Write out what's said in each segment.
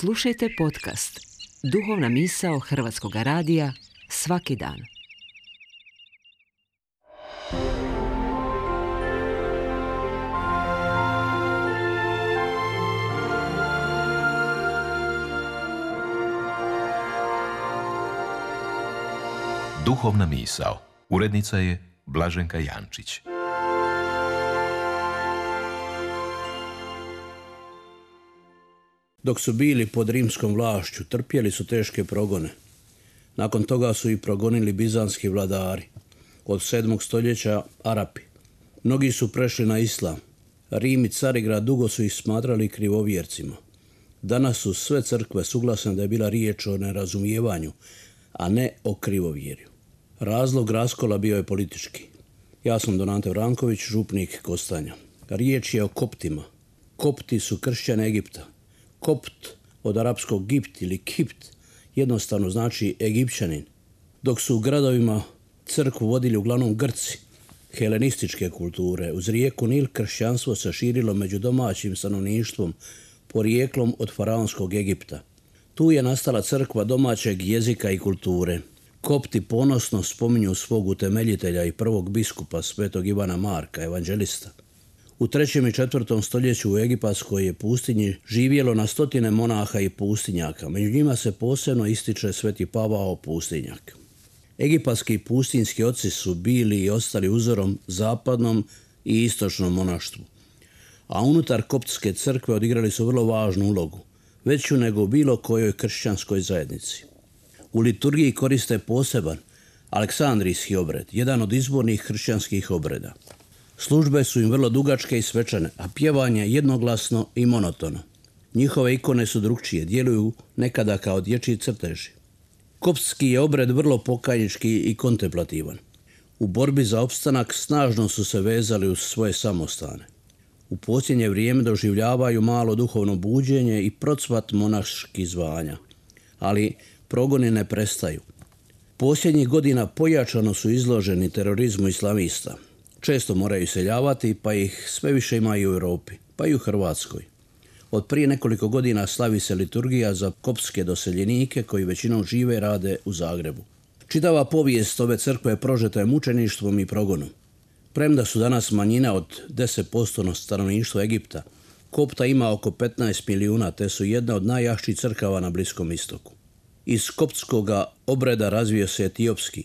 Slušajte podcast Duhovna misao Hrvatskog radija svaki dan. Duhovna misao. Urednica je Blaženka Jančić. Dok su bili pod rimskom vlašću, trpjeli su teške progone. Nakon toga su i progonili bizanski vladari. Od 7. stoljeća Arapi. Mnogi su prešli na islam. Rim i Carigrad dugo su ih smatrali krivovjercima. Danas su sve crkve suglasne da je bila riječ o nerazumijevanju, a ne o krivovjerju. Razlog raskola bio je politički. Ja sam Don Ante Vranković, župnik Kostanja. Riječ je o Koptima. Kopti su kršćani Egipta. Kopt od arapskog Gipt ili Kipt jednostavno znači Egipćanin. Dok su u gradovima crkvu vodili uglavnom Grci, helenističke kulture, uz rijeku Nil kršćanstvo se širilo među domaćim stanovništvom porijeklom od faraonskog Egipta. Tu je nastala crkva domaćeg jezika i kulture. Kopti ponosno spominju svog utemeljitelja i prvog biskupa svetog Ivana Marka, evanđelista. U 3. i 4. stoljeću u egipatskoj je pustinji živjelo na stotine monaha i pustinjaka. Među njima se posebno ističe sveti Pavao pustinjak. Egipatski pustinjski oci su bili i ostali uzorom zapadnom i istočnom monaštvu. A unutar koptske crkve odigrali su vrlo važnu ulogu, veću nego u bilo kojoj kršćanskoj zajednici. U liturgiji koriste poseban aleksandrijski obred, jedan od izbornih kršćanskih obreda. Službe su im vrlo dugačke i svečane, a pjevanje jednoglasno i monotono. Njihove ikone su drukčije, djeluju nekada kao dječji crteži. Koptski je obred vrlo pokajnički i kontemplativan. U borbi za opstanak snažno su se vezali uz svoje samostane. U posljednje vrijeme doživljavaju malo duhovno buđenje i procvat monaških zvanja. Ali progoni ne prestaju. Posljednjih godina pojačano su izloženi terorizmu islamista. Često moraju iseljavati, pa ih sve više ima i u Europi, pa i u Hrvatskoj. Od prije nekoliko godina slavi se liturgija za koptske doseljenike koji većinom žive i rade u Zagrebu. Čitava povijest ove crkve prožeta je mučeništvom i progonom. Premda su danas manjina od 10% stanovništva Egipta, Kopta ima oko 15 milijuna, te su jedna od najjačih crkava na Bliskom istoku. Iz koptskoga obreda razvio se etiopski,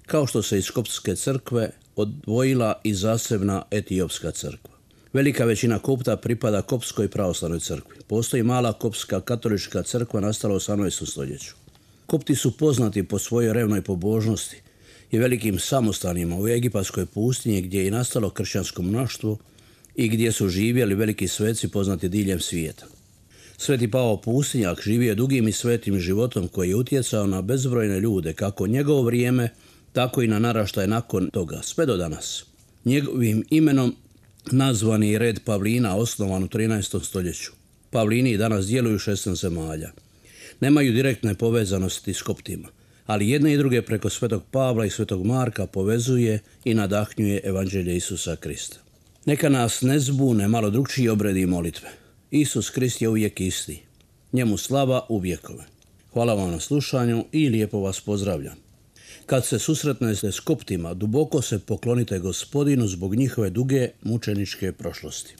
kao što se iz koptske crkve odvojila i zasebna etiopska crkva. Velika većina Kopta pripada koptskoj pravoslavnoj crkvi. Postoji mala koptska katolička crkva nastala u 18. stoljeću. Kopti su poznati po svojoj revnoj pobožnosti i velikim samostanima u egipatskoj pustinji gdje je nastalo kršćansko monaštvo i gdje su živjeli veliki sveci poznati diljem svijeta. Sveti Pavao pustinjak živio je dugim i svetim životom koji je utjecao na bezbrojne ljude, kako njegovo vrijeme, tako i na naraštaje nakon toga, sve do danas. Njegovim imenom nazvan je red Pavlina, osnovan u 13. stoljeću. Pavlini i danas djeluju u 16 zemalja. Nemaju direktne povezanosti s Koptima, ali jedne i druge preko svetog Pavla i svetog Marka povezuje i nadahnjuje evanđelje Isusa Krista. Neka nas ne zbune malo drukčiji obredi i molitve. Isus Krist je uvijek isti. Njemu slava u vjekove. Hvala vam na slušanju i lijepo vas pozdravljam. Kad se susretnete s Koptima, duboko se poklonite Gospodinu zbog njihove duge mučeničke prošlosti.